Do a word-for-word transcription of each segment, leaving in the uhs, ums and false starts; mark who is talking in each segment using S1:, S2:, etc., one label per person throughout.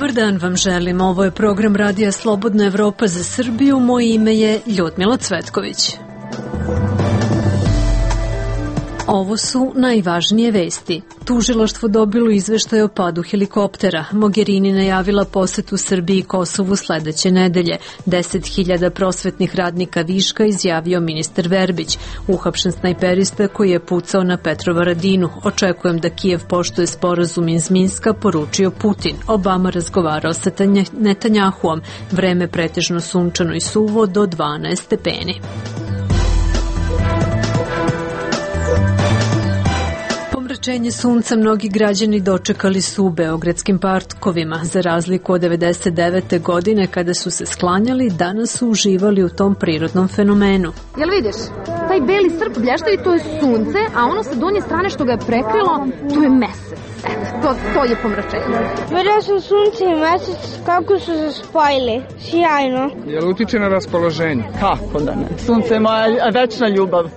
S1: Dobar dan vam želim. Ovo je program Radija Slobodna Evropa za Srbiju. Moje ime je Ljudmila Cvetković. Ovo su najvažnije vesti. Tužilaštvo dobilo izveštaj o padu helikoptera. Mogherini najavila posetu Srbiji i Kosovu sledeće nedelje. deset hiljada prosvetnih radnika viška, izjavio ministar Verbić. Uhapšen snajperista koji je pucao na Petrovaradinu. Očekujem da Kijev poštuje sporazum iz Minska, poručio Putin. Obama razgovarao sa Netanjahuom. Vreme pretežno sunčano i suvo do dvanaest stepeni. Pomračenje sunca mnogi građani dočekali su u beogradskim parkovima. Za razliku od devedeset devete godine kada su se sklanjali, danas su uživali u tom prirodnom fenomenu.
S2: Jel vidiš? Taj beli srp blještavi, to je sunce, a ono sa donje strane što ga je prekrilo, to je mesec. Eto, to, to je pomračenje.
S3: Vidio sam sunce i mesec kako su se spojili. Sjajno.
S4: Jel utiče na raspoloženje?
S5: Kako da ne? Sunce je moja večna ljubav.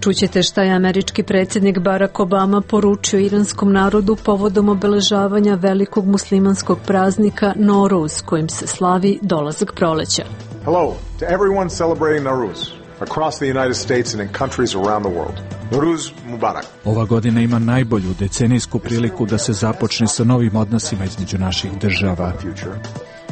S1: Čućete šta je američki predsjednik Barack Obama poručio iranskom narodu povodom obeležavanja velikog muslimanskog praznika Noruz, kojim se slavi dolazak proleća.
S6: Hello to everyone celebrating Nowruz across the United States and in countries around the world. Nowruz Mubarak.
S7: Ova godina ima najbolju decenijsku priliku da se započne sa novim odnosima između naših država.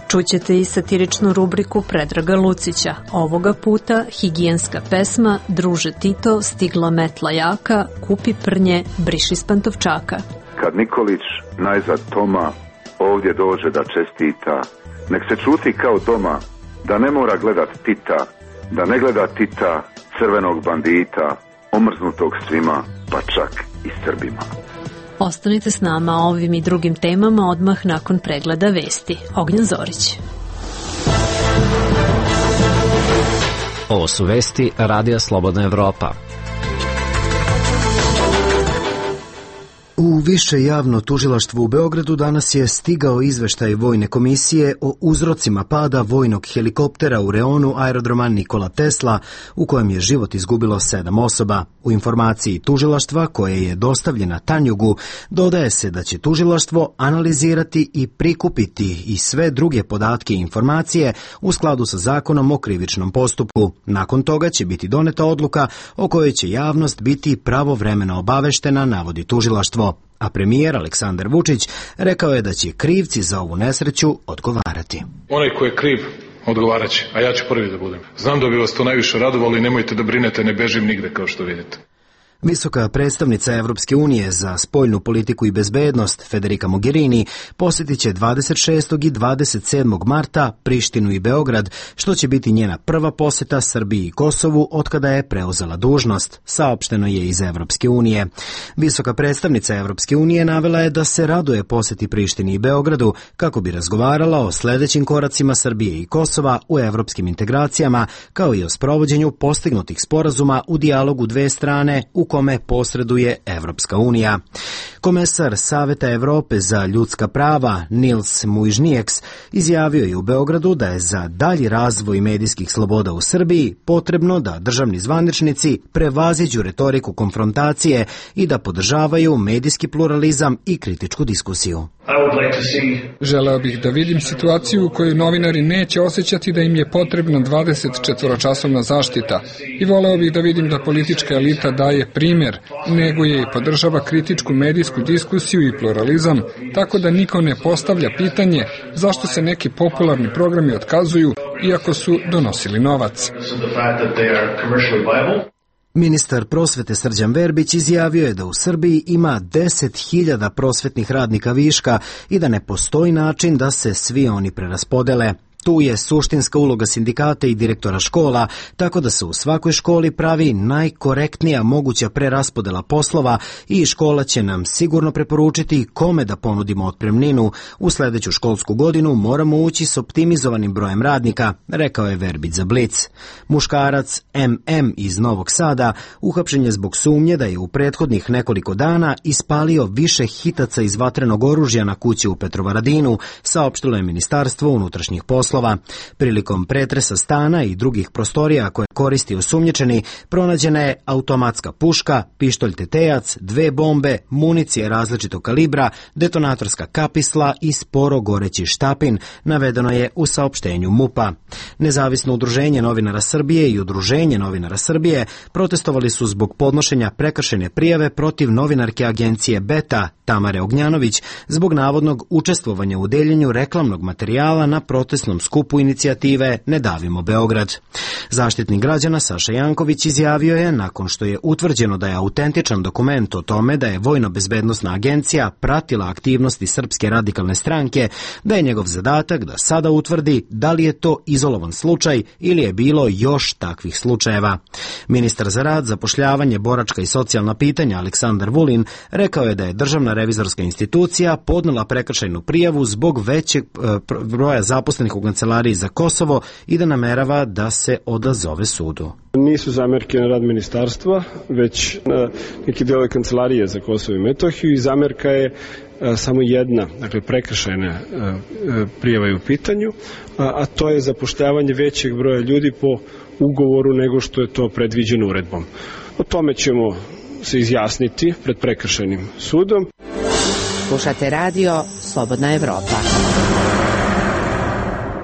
S1: Čućete i satiričnu rubriku Predraga Lucića. Ovoga puta higijenska pesma Druže Tito, stigla metla jaka, kupi prnje, briši s pantovčaka.
S8: Kad Nikolić najzad Toma ovdje dođe da čestita, nek se čuti kao doma, da ne mora gledat Tita, da ne gleda Tita, crvenog bandita, omrznutog svima, pa čak i Srbima.
S1: Ostanite s nama o ovim i drugim temama odmah nakon pregleda vesti. Ognjen Zorić.
S9: Ovo su vesti Radija Slobodna Evropa.
S10: U Više javno tužilaštvo u Beogradu danas je stigao izveštaj Vojne komisije o uzrocima pada vojnog helikoptera u reonu aerodroma Nikola Tesla, u kojem je život izgubilo sedam osoba. U informaciji tužilaštva, koje je dostavljena Tanjugu, dodaje se da će tužilaštvo analizirati i prikupiti i sve druge podatke i informacije u skladu sa zakonom o krivičnom postupku. Nakon toga će biti doneta odluka o kojoj će javnost biti pravovremeno obaveštena, navodi tužilaštvo. A premijer Aleksandar Vučić rekao je da će krivci za ovu nesreću odgovarati.
S11: Onaj ko je kriv odgovarat će, a ja ću prvi da budem. Znam da bi vas to najviše radovalo i nemojte da brinete, ne bežim nigde kao što vidite.
S10: Visoka predstavnica Evropske unije za spoljnu politiku i bezbednost Federica Mogherini posjetit će dvadeset šestog i dvadeset sedmog marta Prištinu i Beograd, što će biti njena prva posjeta Srbiji i Kosovu otkada je preuzela dužnost, saopšteno je iz Evropske unije. Visoka predstavnica Evropske unije navela je da se raduje posjeti Prištini i Beogradu kako bi razgovarala o sledećim koracima Srbije i Kosova u evropskim integracijama, kao i o sprovođenju postignutih sporazuma u dijalogu dve strane u kome posreduje Evropska unija. Komesar Saveta Evrope za ljudska prava Nils Muižnieks izjavio je u Beogradu da je za dalji razvoj medijskih sloboda u Srbiji potrebno da državni zvaničnici prevaziđu retoriku konfrontacije i da podržavaju medijski pluralizam i kritičku diskusiju.
S4: Želeo bih da vidim situaciju u kojoj novinari neće osjećati da im je potrebna dvadeset četvoročasovna zaštita i voleo bih da vidim da politička elita daje primjer, neguje i podržava kritičku medijsku diskusiju i pluralizam, tako da niko ne postavlja pitanje zašto se neki popularni programi otkazuju iako su donosili novac.
S10: Ministar prosvete Srđan Verbić izjavio je da u Srbiji ima deset hiljada prosvetnih radnika viška i da ne postoji način da se svi oni preraspodele. Tu je suštinska uloga sindikata i direktora škola, tako da se u svakoj školi pravi najkorektnija moguća preraspodela poslova i škola će nam sigurno preporučiti kome da ponudimo otpremninu. U sledeću školsku godinu moramo ući s optimizovanim brojem radnika, rekao je Verbić za Blic. Muškarac em em iz Novog Sada uhapšen je zbog sumnje da je u prethodnih nekoliko dana ispalio više hitaca iz vatrenog oružja na kući u Petrovaradinu, saopštilo je Ministarstvo unutrašnjih poslova. Prilikom pretresa stana i drugih prostorija koje koristi osumnjičeni, pronađena je automatska puška, pištolj tetejac, dve bombe, municije različitog kalibra, detonatorska kapisla i sporo goreći štapin, navedeno je u saopštenju MUP-a. Nezavisno udruženje novinara Srbije i Udruženje novinara Srbije protestovali su zbog podnošenja prekršajne prijave protiv novinarke agencije Beta, Tamare Ognjanović, zbog navodnog učestvovanja u deljenju reklamnog materijala na protestnom skupu inicijative Ne davimo Beograd. Zaštitnik građana Saša Janković izjavio je, nakon što je utvrđeno da je autentičan dokument o tome da je Vojno-bezbednosna agencija pratila aktivnosti Srpske radikalne stranke, da je njegov zadatak da sada utvrdi da li je to izolovan slučaj ili je bilo još takvih slučajeva. Ministar za rad, zapošljavanje, boračka i socijalna pitanja Aleksandar Vulin rekao je da je Državna revizorska institucija podnela prekršajnu prijavu zbog većeg broja zaposlenih u Kancelariji za Kosovo i da namerava da se odazove sudu.
S12: Nisu zamerke na rad ministarstva, već na neki deo Kancelarije za Kosovo i Metohiju i zamerka je samo jedna, dakle prekršajna prijava je u pitanju, a to je zapošljavanje većeg broja ljudi po ugovoru nego što je to predviđeno uredbom. O tome ćemo se izjasniti pred prekršajnim sudom.
S13: Slušate radio Slobodna Evropa.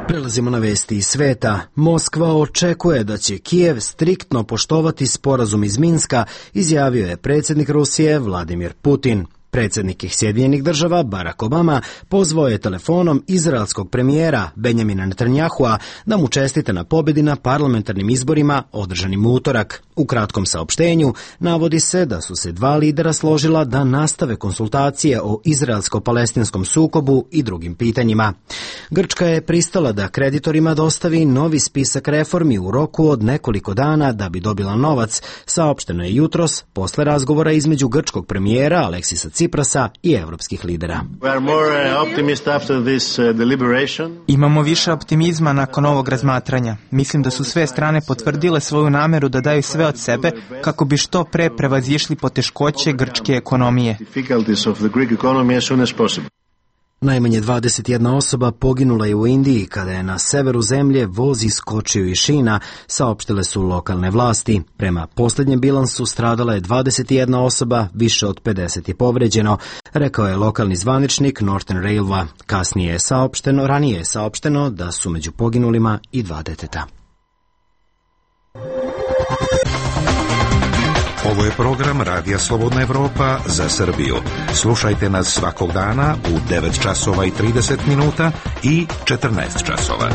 S10: Prelazimo na vesti iz sveta. Moskva očekuje da će Kijev striktno poštovati sporazum iz Minska, izjavio je predsjednik Rusije Vladimir Putin. Predsjednik Sjedinjenih država Barack Obama pozvao je telefonom izraelskog premijera Benjamina Netanyahua da mu čestite na pobjedi na parlamentarnim izborima održanim u utorak. U kratkom saopštenju navodi se da su se dva lidera složila da nastave konsultacije o izraelsko-palestinskom sukobu i drugim pitanjima. Grčka je pristala da kreditorima dostavi novi spisak reformi u roku od nekoliko dana da bi dobila novac, saopšteno je jutros posle razgovora između grčkog premijera Aleksisa Ciprasa i evropskih lidera.
S14: Imamo više optimizma nakon ovog razmatranja. Mislim da su sve strane potvrdile svoju nameru da daju sve od sebe kako bi što pre prevazišli poteškoće grčke ekonomije.
S10: Najmanje dvadeset jedna osoba poginula je u Indiji kada je na severu zemlje voz iskočio iz šina, saopštile su lokalne vlasti. Prema posljednjem bilansu stradala je dvadeset jedna osoba, više od pedeset je povređeno, rekao je lokalni zvaničnik Northern Railwa. Kasnije je saopšteno, ranije je saopšteno da su među poginulima i dva deteta.
S15: Ovo je program Radija Slobodna Evropa za Srbiju. Slušajte nas svakog dana u devet časova i trideset minuta i četrnaest časova.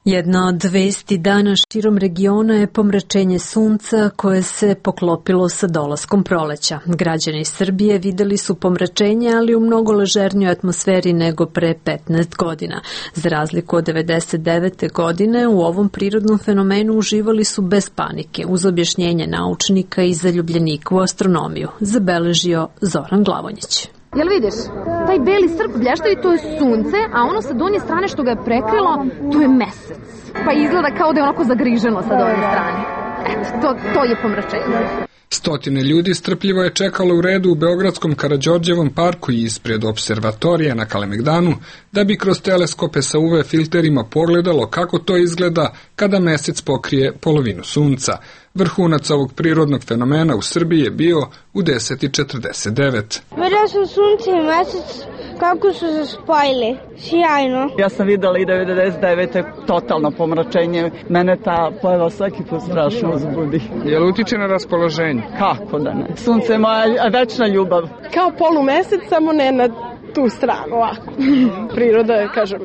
S1: Jedna od vesti dana širom regiona je pomračenje sunca koje se poklopilo sa dolaskom proleća. Građani Srbije videli su pomračenje, ali u mnogo ležernijoj atmosferi nego pre petnaest godina. Za razliku od devedeset devete godine u ovom prirodnom fenomenu uživali su bez panike, uz objašnjenje naučnika i zaljubljenika u astronomiju, zabeležio Zoran Glavonjić.
S2: Jel vidiš? Taj beli srp blještaju, to je sunce, a ono sa donje strane što ga je prekrilo, to je mesec. Pa izgleda kao da je onako zagriženo sa donje strane. Eto, to, to je pomračenje.
S4: Stotine ljudi strpljivo je čekalo u redu u Beogradskom Karađorđevom parku i ispred observatorija na Kalemegdanu, da bi kroz teleskope sa U V filterima pogledalo kako to izgleda kada mesec pokrije polovinu sunca. Vrhunac ovog prirodnog fenomena u Srbiji je bio u deset i četrdeset devet.
S3: Vidio sam sunce i mesec kako su se spojili. Sjajno.
S5: Ja sam videla i devedeset devete totalno pomračenje. Mene ta pojava svaki put strašno uzbudi.
S4: Jel utiče na raspoloženje?
S5: Kako da ne? Sunce je moja večna ljubav.
S16: Kao polumesec, samo ne na tu stranu, ovako. Priroda je, kažem,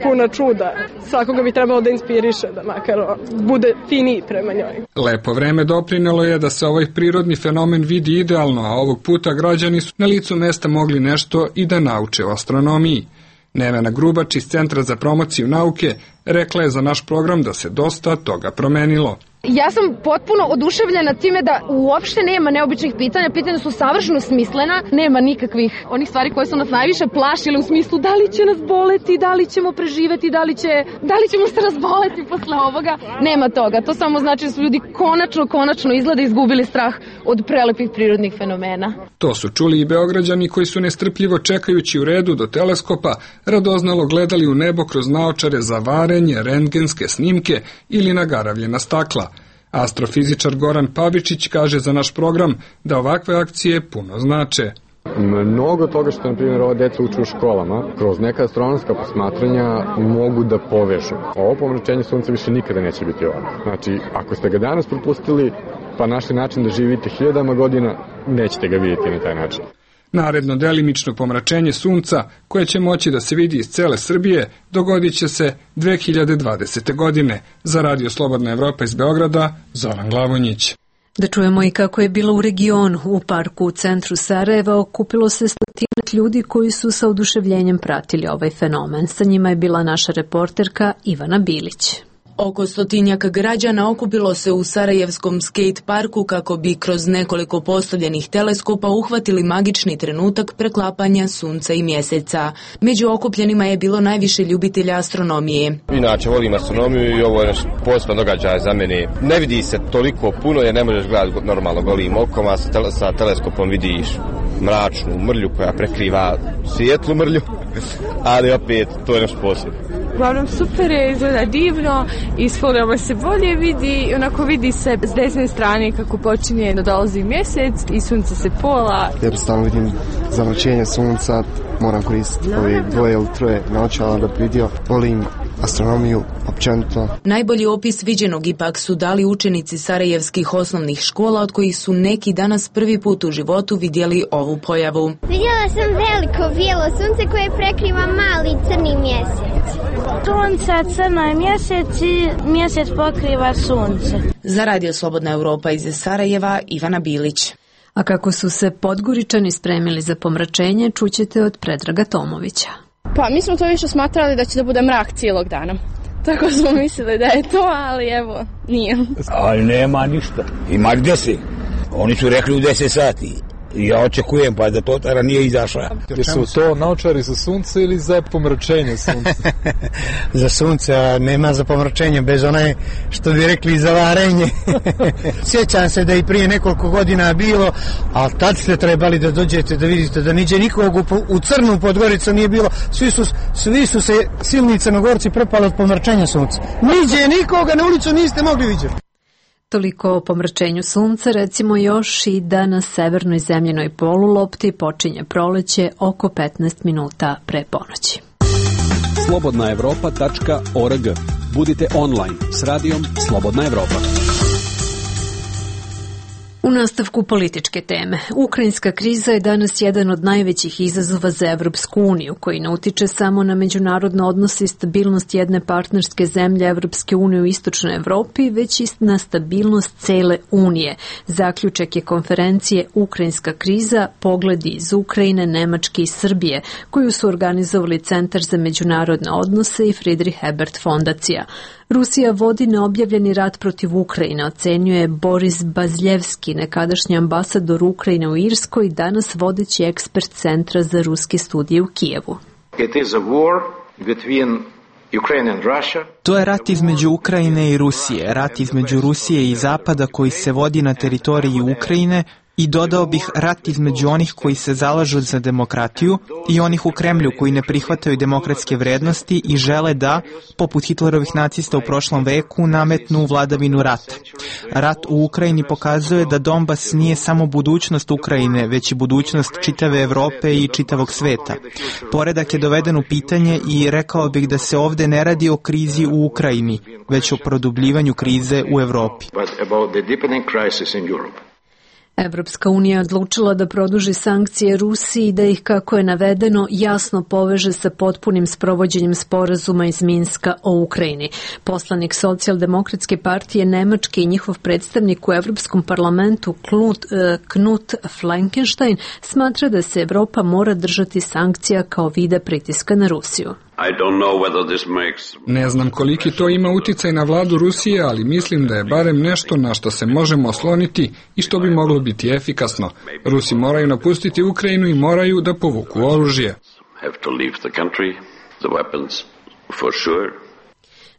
S16: puna čuda. Svakoga bi trebalo da inspiriše, da makar bude finiji prema njoj.
S4: Lepo vreme doprinelo je da se ovaj prirodni fenomen vidi idealno, a ovog puta građani su na licu mesta mogli nešto i da nauče o astronomiji. Nevena Grubač iz Centra za promociju nauke rekla je za naš program da se dosta toga promenilo.
S2: Ja sam potpuno oduševljena time da uopšte nema neobičnih pitanja, pitanja su savršeno smislena, nema nikakvih onih stvari koje su nas najviše plašile u smislu da li će nas boleti, da li ćemo preživeti, da li, će, da li ćemo se razboleti posle ovoga. Nema toga, to samo znači da su ljudi konačno, konačno izgleda izgubili strah od prelepih prirodnih fenomena.
S4: To su čuli i Beograđani koji su nestrpljivo čekajući u redu do teleskopa radoznalo gledali u nebo kroz naočare za varenje, rentgenske snimke ili nagaravljena stakla. Astrofizičar Goran Pavičić kaže za naš program da ovakve akcije puno znače.
S17: Mnogo toga što, na primjer, ova deca uče u školama, kroz neka astronomska posmatranja mogu da povežu. Ovo pomračenje sunca više nikada neće biti ovako. Znači, ako ste ga danas propustili, pa našli način da živite hiljadama godina, nećete ga vidjeti na taj način.
S4: Naredno delimično pomračenje sunca, koje će moći da se vidi iz cele Srbije, dogodit će se dve hiljade dvadesete. godine. Za Radio Slobodna Evropa iz Beograda, Zoran Glavonjić.
S1: Da čujemo i kako je bilo u regionu. U parku u centru Sarajeva okupilo se stotinak ljudi koji su sa oduševljenjem pratili ovaj fenomen. Sa njima je bila naša reporterka Ivana Bilić.
S18: Oko stotinjak građana okupilo se u Sarajevskom skate parku kako bi kroz nekoliko postavljenih teleskopa uhvatili magični trenutak preklapanja sunca i mjeseca. Među okupljenima je bilo najviše ljubitelja astronomije.
S19: Inače volim astronomiju i ovo je poseban događaj za mene. Ne vidi se toliko puno jer ne možeš gledati normalno golim okom, a sa, tele, sa teleskopom vidiš mračnu mrlju koja prekriva svijetlu mrlju, ali opet to je nešto posebno.
S20: Uglavnom super je, izgleda divno, iz folioma se bolje vidi i onako vidi se s desne strane kako počinje da dolazi mjesec i sunce se pola.
S21: Jednostavno vidim zamračenje sunca, moram koristiti ove dvoje ili troje naočala da bi vidio. Volim astronomiju općenito.
S18: Najbolji opis viđenog ipak su dali učenici sarajevskih osnovnih škola, od kojih su neki danas prvi put u životu vidjeli ovu pojavu.
S3: Vidjela sam veliko bijelo sunce koje prekriva mali crni mjesec. Sunce, crno je mjesec i mjesec pokriva sunce.
S18: Za Radio Slobodna Evropa iz Sarajeva, Ivana Bilić.
S1: A kako su se Podgoričani spremili za pomračenje, čućete od Predraga Tomovića.
S22: Pa mi smo to više smatrali da će da bude mrak cijelog dana. Tako smo mislili da je to, ali evo, nije.
S23: Ali nema ništa. Ima gdje si. Oni su rekli u deset sati. Ja očekujem pa da to tada nije izašla.
S24: Jesu to naočari za sunce ili za pomračenje sunca?
S21: Za sunce, a nema za pomračenje, bez onaj što bi rekli za varenje. Sjećam se da i prije nekoliko godina bilo, ali tad ste trebali da dođete da vidite da niđe nikog u, u crnu Podgoricu nije bilo. Svi su, svi su se silni crnogorci prepali od pomračenja sunca. Niđe nikoga na ulicu niste mogli vidjeti.
S1: Toliko o pomračenju sunca, recimo još i da na severnoj zemljenoj polulopti počinje proleće oko petnaest minuta pre ponoći.
S25: slobodna evropa tačka org. Budite online s radijom Slobodna Evropa.
S1: U nastavku političke teme, ukrajinska kriza je danas jedan od najvećih izazova za Evropsku uniju, koji ne utiče samo na međunarodne odnose i stabilnost jedne partnerske zemlje Evropske unije u istočnoj Evropi, već i na stabilnost cele unije. Zaključak je konferencije Ukrajinska kriza, pogledi iz Ukrajine, Nemačke i Srbije, koju su organizovali Centar za međunarodne odnose i Friedrich Ebert fondacija. Rusija vodi neobjavljeni rat protiv Ukrajine, ocenjuje Boris Bazljevski, nekadašnji ambasador Ukrajine u Irskoj i danas vodeći ekspert Centra za ruske studije u Kijevu.
S26: It is a war between Ukraine and Russia.
S14: To je rat između Ukrajine i Rusije, rat između Rusije i Zapada koji se vodi na teritoriji Ukrajine i dodao bih rat između onih koji se zalažu za demokratiju i onih u Kremlju koji ne prihvataju demokratske vrednosti i žele da, poput Hitlerovih nacista u prošlom veku, nametnu vladavinu rata. Rat u Ukrajini pokazuje da Donbas nije samo budućnost Ukrajine, već i budućnost čitave Evrope i čitavog sveta. Poredak je doveden u pitanje i rekao bih da se ovde ne radi o krizi u Ukrajini, već o produbljivanju krize u Evropi.
S1: Evropska unija je odlučila da produži sankcije Rusiji i da ih, kako je navedeno, jasno poveže sa potpunim sprovođenjem sporazuma iz Minska o Ukrajini. Poslanik Socijaldemokratske partije Nemačke i njihov predstavnik u Evropskom parlamentu Knut, Knut Fleckenstein smatra da se Evropa mora držati sankcija kao vida pritiska na Rusiju.
S4: Ne znam koliki to ima uticaj na vladu Rusije, ali mislim da je barem nešto na što se možemo osloniti i što bi moglo biti efikasno. Rusi moraju napustiti Ukrajinu i moraju da povuku oružje.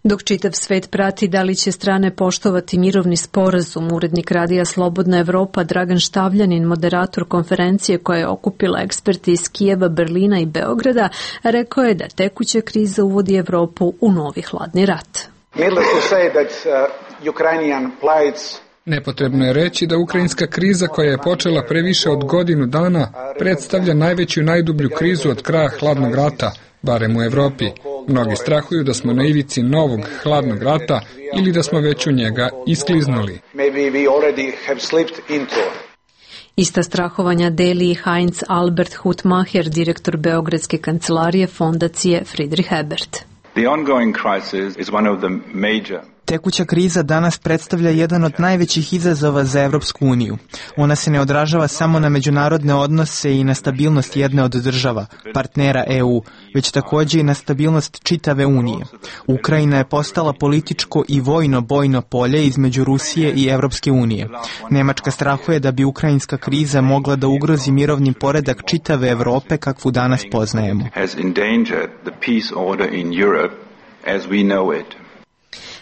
S1: Dok čitav svet prati da li će strane poštovati mirovni sporazum, urednik radija Slobodna Evropa Dragan Štavljanin, moderator konferencije koja je okupila eksperti iz Kijeva, Berlina i Beograda, rekao je da tekuća kriza uvodi Evropu u novi hladni rat.
S4: Nepotrebno je reći da ukrajinska kriza koja je počela pre više od godinu dana predstavlja najveću i najdublju krizu od kraja hladnog rata, barem u Evropi. Mnogi strahuju da smo na ivici novog hladnog rata ili da smo već u njega iskliznuli.
S1: Ista strahovanja deli i Heinz Albert Hutmacher, direktor Beogradske kancelarije fondacije Friedrich Ebert.
S14: Tekuća kriza danas predstavlja jedan od najvećih izazova za Evropsku uniju. Ona se ne odražava samo na međunarodne odnose i na stabilnost jedne od država, partnera E U, već također i na stabilnost čitave Unije. Ukrajina je postala političko i vojno bojno polje između Rusije i Evropske unije. Nemačka strahuje da bi ukrajinska kriza mogla da ugrozi mirovni poredak čitave Evrope kakvu danas poznajemo.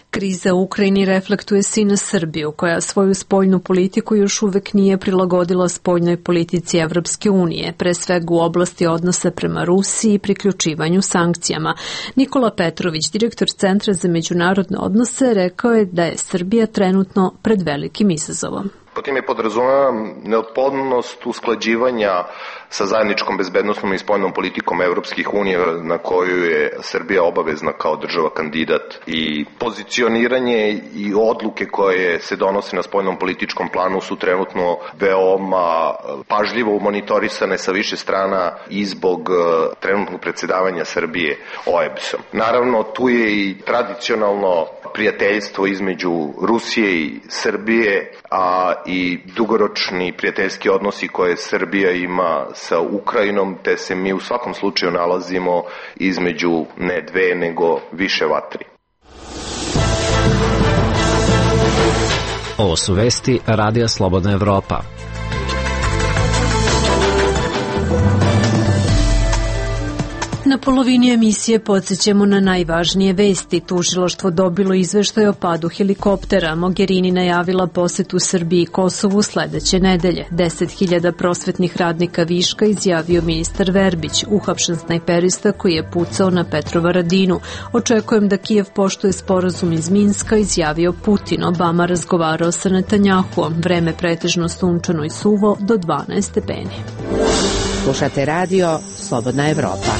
S1: Kriza u Ukrajini reflektuje se i na Srbiju, koja svoju spoljnu politiku još uvek nije prilagodila spoljnoj politici Evropske unije, pre svega u oblasti odnosa prema Rusiji i priključivanju sankcijama. Nikola Petrović, direktor Centra za međunarodne odnose, rekao je da je Srbija trenutno pred velikim izazovom.
S6: Po time podrazumevam neophodnost usklađivanja sa zajedničkom bezbednosnom i spoljnom politikom Evropskih unija na koju je Srbija obavezna kao država kandidat i pozicioniranje i odluke koje se donose na spoljnom političkom planu su trenutno veoma pažljivo monitorisane sa više strana i zbog trenutnog predsjedavanja Srbije O E B S-om. Naravno, tu je i tradicionalno prijateljstvo između Rusije i Srbije, a i dugoročni prijateljski odnosi koje Srbija ima sa Ukrajinom, te se mi u svakom slučaju nalazimo između ne dve, nego više vatri.
S7: Ovo su vesti Radija Slobodna Evropa.
S1: Na polovini emisije podsjećamo na najvažnije vesti. Tužilaštvo dobilo izveštaj o padu helikoptera. Mogherini najavila posetu Srbiji i Kosovu sledeće nedelje. deset hiljada prosvetnih radnika viška, izjavio ministar Verbić, uhapšen snajperista koji je pucao na Petrovaradinu. Očekujem da Kijev poštuje sporazum iz Minska, izjavio Putin. Obama razgovarao sa Netanjahuom. Vreme pretežno sunčano i suvo do dvanaest stepeni.
S13: Slušate radio Slobodna Evropa.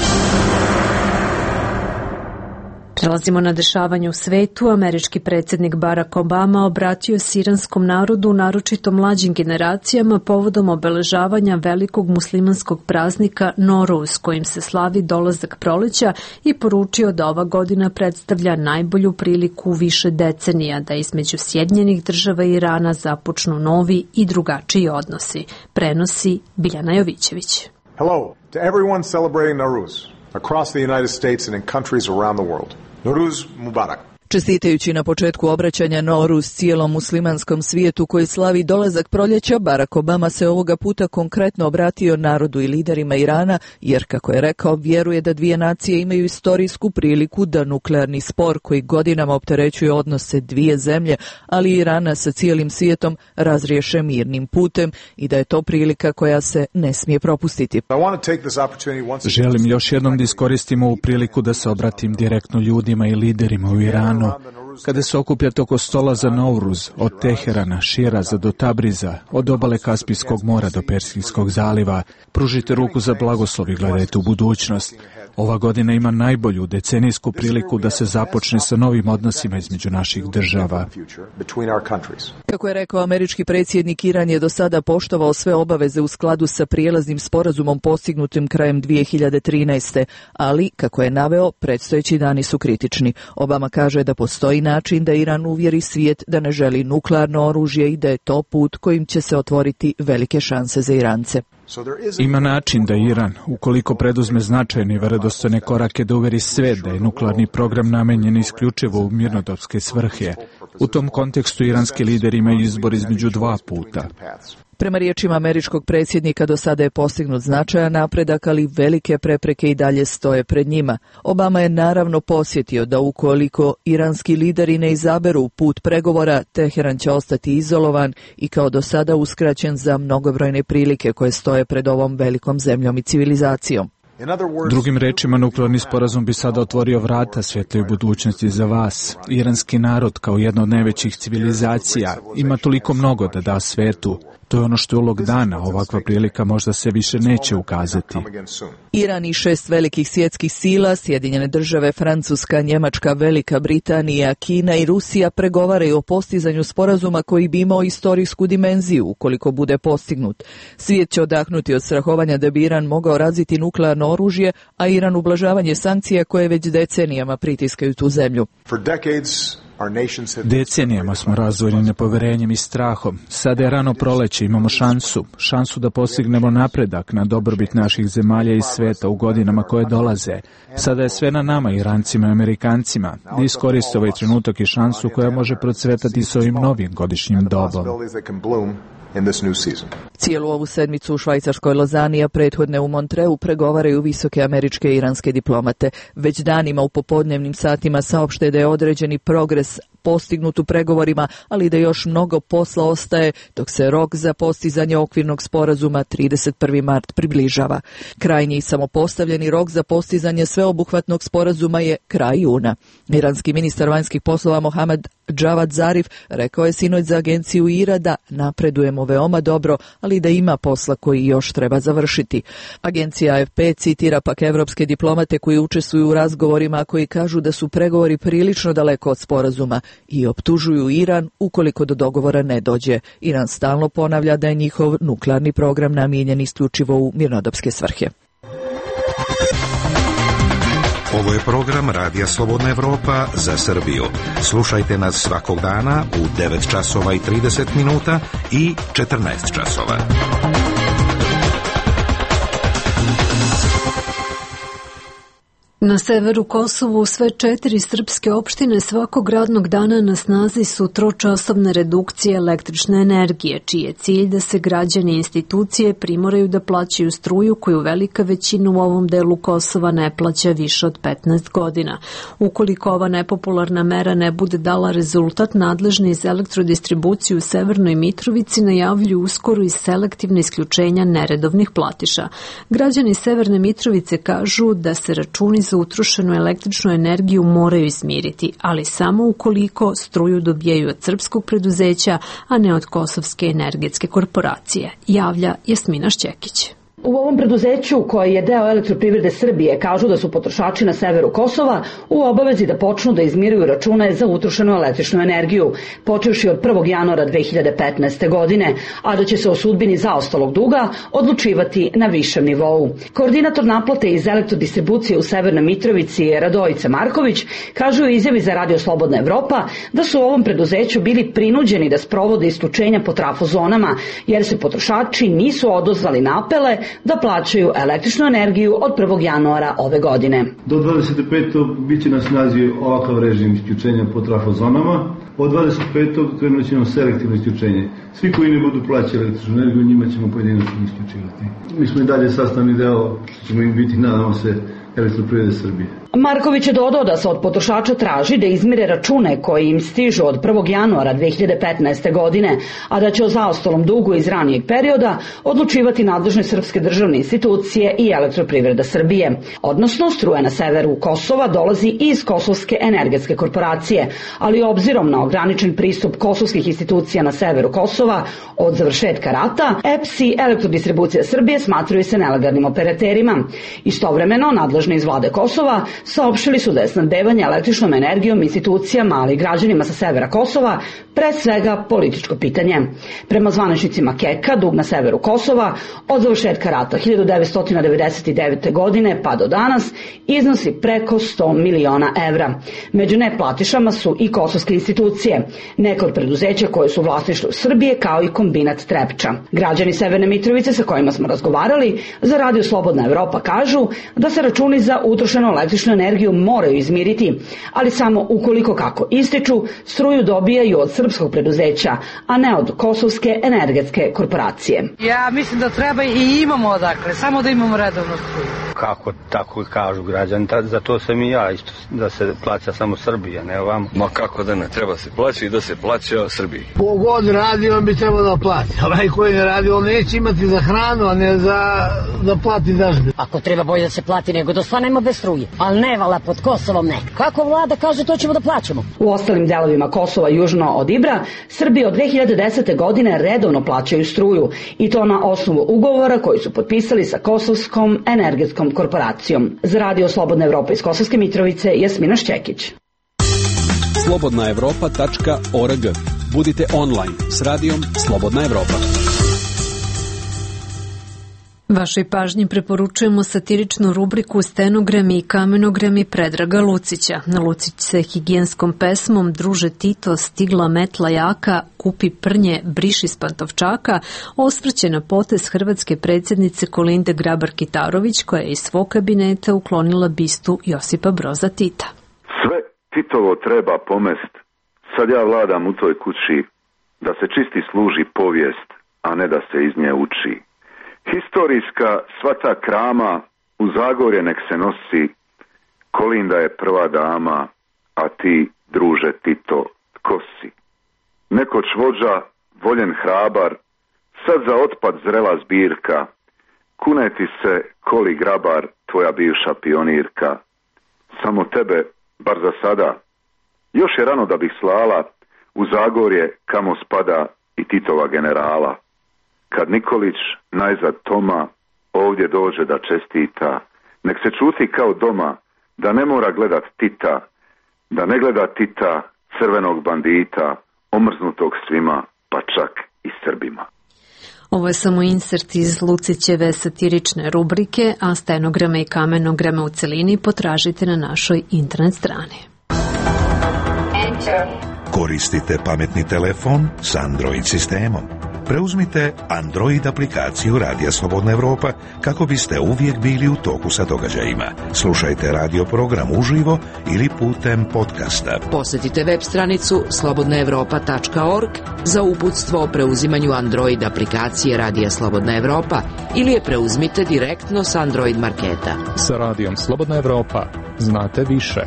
S1: Prelazimo na dešavanje u svetu. Američki predsjednik Barack Obama obratio se iranskom narodu, naročito mlađim generacijama, povodom obeležavanja velikog muslimanskog praznika Noruz, kojim se slavi dolazak proleća, i poručio da ova godina predstavlja najbolju priliku više decenija da između Sjedinjenih Država i Irana započnu novi i drugačiji odnosi. Prenosi Biljana Jovićević.
S8: Hello to everyone celebrating Nowruz across the United States and in countries around the world. Nowruz Mubarak.
S9: Čestitajući na početku obraćanja Noruz cijelom muslimanskom svijetu koji slavi dolazak proljeća, Barack Obama se ovoga puta konkretno obratio narodu i liderima Irana, jer, kako je rekao, vjeruje da dvije nacije imaju istorijsku priliku da nuklearni spor koji godinama opterećuje odnose dvije zemlje, ali i Irana sa cijelim svijetom, razriješe mirnim putem i da je to prilika koja se ne smije propustiti.
S11: Želim još jednom da iskoristim ovu priliku da se obratim direktno ljudima i liderima u Iranu. Kada se okupljate oko stola za Novruz, od Teherana, Širaza do Tabriza, od obale Kaspijskog mora do Persijskog zaliva, pružite ruku za blagoslov i gledajte u budućnost. Ova godina ima najbolju decenijsku priliku da se započne sa novim odnosima između naših država.
S9: Kako je rekao američki predsjednik, Iran je do sada poštovao sve obaveze u skladu sa prijelaznim sporazumom postignutim krajem dvije hiljade trinaeste. ali, kako je naveo, predstojeći dani su kritični. Obama kaže da postoji način da Iran uvjeri svijet da ne želi nuklearno oružje i da je to put kojim će se otvoriti velike šanse za Irance.
S11: Ima način da Iran, ukoliko preduzme značajne i verodostojne korake, da uveri svet da je nuklearni program namenjen isključivo u mirnodopske svrhe. U tom kontekstu iranski lideri imaju izbor između dva puta.
S9: Prema riječima američkog predsjednika, do sada je postignut značajan napredak, ali velike prepreke i dalje stoje pred njima. Obama je naravno posjetio da ukoliko iranski lideri ne izaberu put pregovora, Teheran će ostati izolovan i kao do sada uskraćen za mnogobrojne prilike koje stoje pred ovom velikom zemljom i civilizacijom.
S11: Drugim rečima, nuklearni sporazum bi sada otvorio vrata svjetloj budućnosti za vas. Iranski narod, kao jedna od najvećih civilizacija, ima toliko mnogo da da svetu. To je ono što je ulog dana, ovakva prilika možda se više neće ukazati.
S9: Iran i šest velikih svjetskih sila, Sjedinjene države, Francuska, Njemačka, Velika Britanija, Kina i Rusija pregovaraju o postizanju sporazuma koji bi imao istorijsku dimenziju ukoliko bude postignut. Svijet će odahnuti od strahovanja da bi Iran mogao razviti nuklearno oružje, a Iran ublažavanje sankcija koje već decenijama pritiskaju tu zemlju.
S11: Decenijama smo razvojeni nepoverenjem i strahom. Sada je rano proleće, imamo šansu. Šansu da postignemo napredak na dobrobit naših zemalja i sveta u godinama koje dolaze. Sada je sve na nama, Irancima i Amerikancima, da iskoriste ovaj trenutak i šansu koja može procvetati s ovim novim godišnjim dobom.
S9: Cijelu ovu sedmicu u švajcarskoj Lozani, a prethodne u Montreu, pregovaraju visoke američke i iranske diplomate. Već danima u popodnevnim satima saopšte da je određeni progres postignut u pregovorima, ali da još mnogo posla ostaje dok se rok za postizanje okvirnog sporazuma trideset prvi mart približava. Krajnji i samopostavljeni rok za postizanje sveobuhvatnog sporazuma je kraj juna. Iranski ministar vanjskih poslova Mohamed Javad Zarif rekao je sinoć za agenciju I R A da napredujemo veoma dobro, ali da ima posla koji još treba završiti. Agencija A F P citira pak evropske diplomate koji učestvuju u razgovorima, koji kažu da su pregovori prilično daleko od sporazuma i optužuju Iran ukoliko do dogovora ne dođe. Iran stalno ponavlja da je njihov nuklearni program namijenjen isključivo u mirnodopske svrhe.
S2: Ovo je program Radija Slobodna Evropa za Srbiju. Slušajte nas svakog dana u devet časova i trideset minuta i četrnaest časova.
S1: Na severu Kosovu sve četiri srpske opštine svakog radnog dana na snazi su tročasovne redukcije električne energije, čiji je cilj da se građani i institucije primoraju da plaćaju struju koju velika većina u ovom delu Kosova ne plaća više od petnaest godina. Ukoliko ova nepopularna mera ne bude dala rezultat, nadležni iz elektrodistribuciju u Severnoj Mitrovici najavljuju uskoro i selektivne isključenja neredovnih platiša. Građani Severne Mitrovice kažu da se računi za utrošenu električnu energiju moraju izmiriti, ali samo ukoliko struju dobijaju od srpskog preduzeća, a ne od Kosovske energetske korporacije, javlja Jasmina Šćekić.
S5: U ovom preduzeću, koji je deo Elektroprivrede Srbije, kažu da su potrošači na severu Kosova u obavezi da počnu da izmiruju račune za utrošenu električnu energiju, počevši od prvog januara dve hiljade petnaeste. godine, a da će se o sudbini zaostalog duga odlučivati na višem nivou. Koordinator naplate iz elektrodistribucije u Severnoj Mitrovici, Radojica Marković, kaže u izjavi za Radio Slobodna Evropa da su u ovom preduzeću bili prinuđeni da sprovode isključenja po trafozonama, jer se potrošači nisu odozvali na apele da plaćaju električnu energiju od prvog januara ove godine.
S10: Do dvadeset petog bit će na snazi ovakav režim isključenja po trafozonama. Od dvadeset petog krenut ćemo selektivno isključenje. Svi koji ne budu plaćali električnu energiju, njima ćemo pojedinačno isključivati. Mi smo i dalje sastavni deo, što ćemo im biti, nadamo se, Elektroprivrede Srbije.
S5: Marković je dodao da se od potrošača traži da izmire račune koji im stižu od prvog januara dve hiljade petnaeste. godine, a da će o zaostalom dugu iz ranijeg perioda odlučivati nadležne srpske državne institucije i Elektroprivreda Srbije. Odnosno, struja na severu Kosova dolazi iz Kosovske energetske korporacije, ali obzirom na ograničen pristup kosovskih institucija na severu Kosova od završetka rata, E P S i Elektrodistribucija Srbije smatraju se nelegalnim operaterima. Istovremeno, nadležni iz vlade Kosova saopštili su da je snabdevanje električnom energijom institucijama, ali i građanima sa severa Kosova pre svega političko pitanje. Prema zvaničnicima Keka, dug na severu Kosova od završetka rata hiljadu devetsto devedeset devete. godine pa do danas iznosi preko sto miliona evra. Među neplatišama su i kosovske institucije, neke od preduzeća koje su vlasništvo Srbije, kao i kombinat Trepča. Građani Severne Mitrovice sa kojima smo razgovarali za Radio Slobodna Evropa kažu da se računi za utrošenu električnu energiju moraju izmiriti, ali samo ukoliko, kako ističu, struju dobijaju od srpskog preduzeća, a ne od kosovske energetske korporacije.
S12: Ja mislim da treba i imamo odakle, samo da imamo redovno struju.
S15: Kako tako kažu građani, za to sam i ja isto, da se plaća samo Srbija, ne ovamo.
S16: Ma kako da ne, treba se plaća i da se plaća Srbiji.
S21: Ko god radi, on bi trebao da plati. Onaj koji ne radi, on neće imati za hranu, a ne za da plati dažbe.
S17: Ako treba bolje da se plati nego da ostanemo bez struje, ali ne vala pod Kosovom ne. Kako vlada kaže, to ćemo da plaćamo.
S5: U ostalim delovima Kosova južno od Ibra, Srbi od dve hiljade desete. godine redovno plaćaju struju i to na osnovu ugovora koji su potpisali sa Kosovskom energetskom korporacijom. Za Radio Slobodna Evropa iz Kosovske Mitrovice, Jasmina Šćekić.
S25: slobodna evropa tačka org. Budite online s radijom Slobodna Evropa.
S1: Vašoj pažnji preporučujemo satiričnu rubriku Stenogrami i kamenogrami Predraga Lucića. Lucić se higijenskom pesmom Druže Tito, stigla metla jaka, kupi prnje, briši s pantovčaka, osvrće na potez hrvatske predsjednice Kolinde Grabar-Kitarović, koja je iz svog kabineta uklonila bistu Josipa Broza Tita.
S19: Sve Titovo treba pomest, sad ja vladam u toj kući, da se čisti služi povijest, a ne da se iz nje uči. Historijska sva ta krama u Zagorje nek se nosi, Kolinda je prva dama, a ti, druže Tito, tko si? Nekoć vođa, voljen hrabar, sad za otpad zrela zbirka, kuneti se, Koli Grabar, tvoja bivša pionirka. Samo tebe, bar za sada, još je rano da bih slala u Zagorje kamo spada i Titova generala. Kad Nikolić, najzad Toma, ovdje dođe da čestita, nek se čuti kao doma, da ne mora gledat Tita, da ne gleda Tita, crvenog bandita, omrznutog svima, pa čak i Srbima.
S1: Ovo je samo insert iz Lucićeve satirične rubrike, a stenograme i kamenograme u celini potražite na našoj internet strani.
S2: Koristite pametni telefon s Android sistemom. Preuzmite Android aplikaciju Radija Slobodna Evropa kako biste uvijek bili u toku sa događajima. Slušajte radio program uživo ili putem podcasta.
S13: Posjetite web stranicu slobodna evropa tačka org za uputstvo o preuzimanju Android aplikacije Radija Slobodna Evropa ili je preuzmite direktno s Android marketa.
S24: Sa Radijom Slobodna Evropa znate više.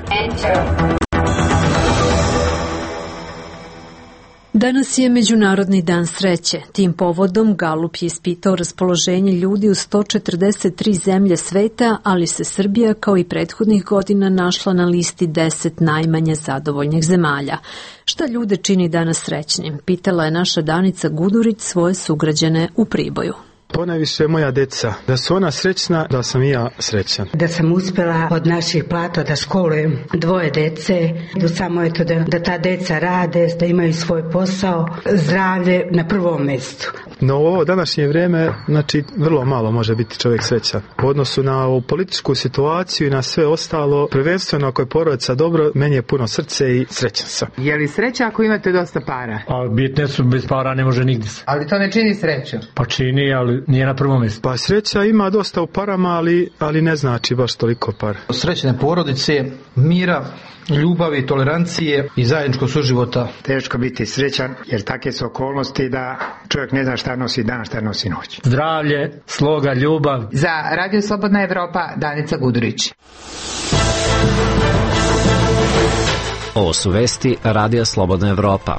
S1: Danas je Međunarodni dan sreće. Tim povodom Galup je ispitao raspoloženje ljudi u sto četrdeset tri zemlje sveta, ali se Srbija kao i prethodnih godina našla na listi deset najmanje zadovoljnih zemalja. Šta ljude čini danas srećnim? Pitala je naša Danica Gudurić svoje sugrađane u Priboju.
S20: Ponajviše moja deca, da su ona srećna, da sam i ja srećan.
S27: Da sam uspjela od naših plata da školujem dvoje dece, da samo eto da, da ta deca rade, da imaju svoj posao, zdravlje na prvom mjestu.
S20: No u ovo današnje vrijeme, znači vrlo malo može biti čovjek srećan. U odnosu na ovu političku situaciju i na sve ostalo, prvenstveno ako je porodica dobro, meni je puno srce i srećan sam.
S28: Je li sreća ako imate dosta para?
S29: A bitne su, bez para ne može nigdje.
S28: Ali to ne čini sreću?
S29: Pa čini, ali nije na prvom mjestu.
S20: Pa sreća ima dosta u parama, ali, ali ne znači baš toliko para.
S30: Srećne porodice, mira, ljubavi, tolerancije i zajedničkog suživota.
S31: Teško biti srećan, jer takve su okolnosti da čovjek ne zna šta nosi dan, šta nosi noć.
S29: Zdravlje, sloga, ljubav.
S28: Za Radio Slobodna Evropa, Danica Gudurić.
S7: Ovo su vesti Radija Slobodna Evropa.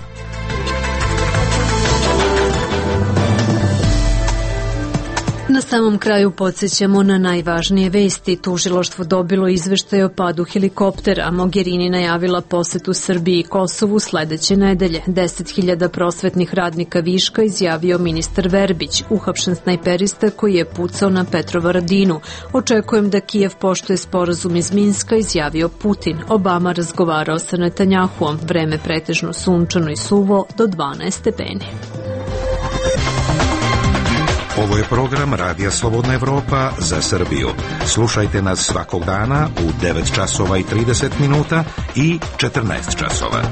S1: Na samom kraju podsjećamo na najvažnije vesti. Tužilaštvo dobilo izveštaj o padu helikoptera. Mogherini najavila posetu Srbiji i Kosovu sledeće nedelje. deset hiljada prosvetnih radnika viška, izjavio ministar Verbić, uhapšen snajperista koji je pucao na Petrovaradinu. Očekujem da Kijev poštuje sporazum iz Minska, izjavio Putin. Obama razgovarao sa Netanjahuom. Vreme pretežno sunčano i suvo do dvanaest stepeni.
S2: Ovo je program Radija Slobodna Evropa za Srbiju. Slušajte nas svakog dana u devet časova i trideset minuta i četrnaest časova.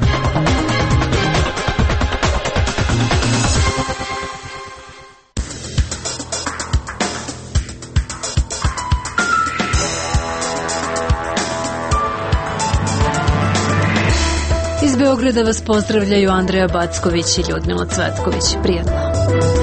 S1: Iz Beograda vas pozdravljaju Andreja Backović i Ljudmila Cvetković. Prijatno.